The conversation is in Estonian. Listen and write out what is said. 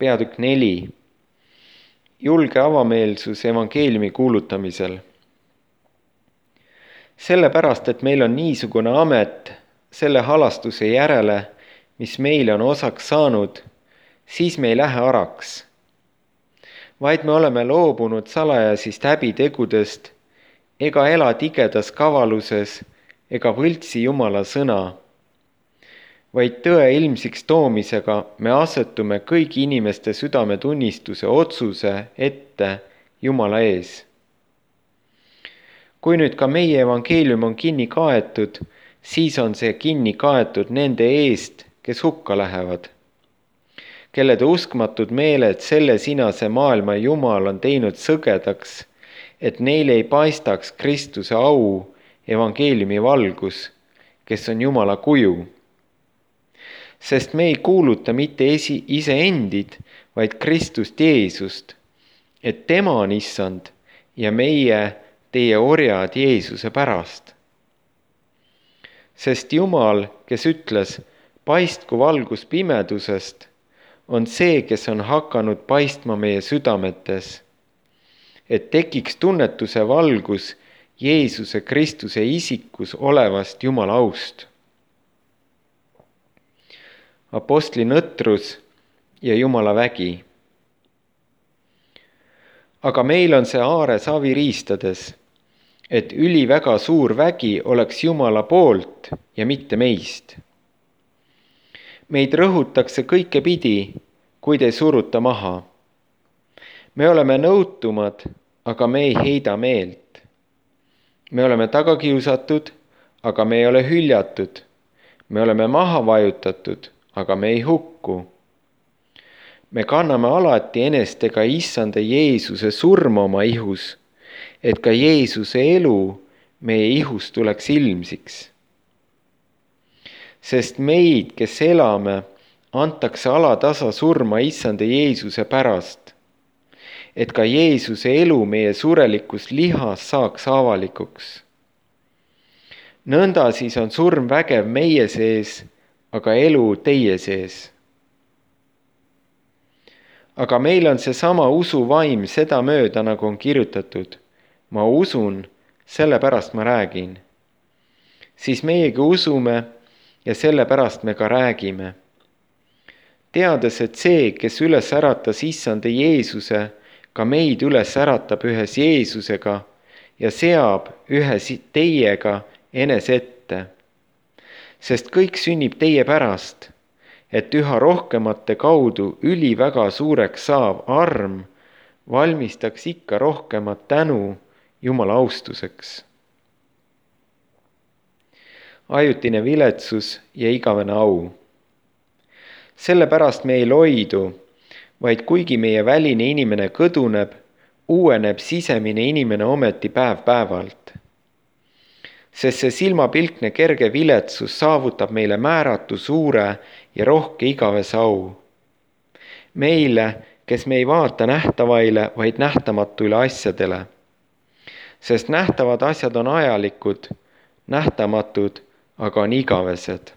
peatükk 4. Julge avameelsus evangeeliumi kuulutamisel. Sellepärast, et meil on niisugune amet selle halastuse järele, mis meile on osaks saanud, siis me ei lähe araks, vaid me oleme loobunud salajasist häbitegudest ega ela tigedas kavaluses ega võltsi Jumala sõna, vaid tõe ilmsiks toomisega me asetume kõigi inimeste südametunnistuse otsuse ette Jumala ees. Kui nüüd ka meie evangeelium on kinni kaetud, siis on see kinni kaetud nende eest, kes hukka lähevad, kellede uskmatud meeled selle sinase maailma Jumal on teinud sõgedaks, et neile ei paistaks Kristuse au evangeeliumi valgus, kes on Jumala kuju. Sest me ei kuuluta mitte iseendid, vaid Kristust Jeesust, et tema on issand ja meie teie orjad Jeesuse pärast. Sest Jumal, kes ütles, paistku valgus pimedusest, on see, kes on hakanud paistma meie südametes, et tekiks tunnetuse valgus Jeesuse Kristuse isikus olevast Jumala aust. Apostli nõtrus ja Jumala vägi. Aga meil on see aare savi riistades, et üliväga suur vägi oleks Jumala poolt ja mitte meist. Meid rõhutakse kõike pidi, kuid ei suruta maha. Me oleme nõutumad, aga me ei heida meelt. Me oleme tagakiusatud, aga me ei ole hüljatud. Me oleme maha vajutatud, aga me ei hukku. Me kanname alati enestega issanda Jeesuse surma oma ihus, et ka Jeesuse elu meie ihus tuleks ilmsiks. Sest meid, kes elame, antakse alatasa surma issanda Jeesuse pärast, et ka Jeesuse elu meie surelikus lihas saaks avalikuks. Nõnda siis on surm vägev meie sees, aga elu teie sees. Aga meil on seesama usuvaim seda mööda, nagu on kirjutatud. Ma usun, sellepärast ma räägin. Siis meiegi usume ja sellepärast me ka räägime. Teades, et see, kes üles äratas issanda Jeesuse, ka meid üles äratab ühes Jeesusega ja seab ühes teiega enese ette. Sest kõik sünnib teie pärast, et üha rohkemate kaudu üliväga suureks saav arm valmistaks ikka rohkemat tänu Jumala austuseks. Ajutine viletsus ja igavene au. Sellepärast me ei loidu, vaid kuigi meie väline inimene kõduneb, uueneb sisemine inimene ometi päev-päevalt. Sest see silmapilkne kerge viletsus saavutab meile määratu suure ja rohke igavese au. Meile, kes me ei vaata nähtavaile, vaid nähtamatuile asjadele. Sest nähtavad asjad on ajalikud, nähtamatud, aga on igavesed.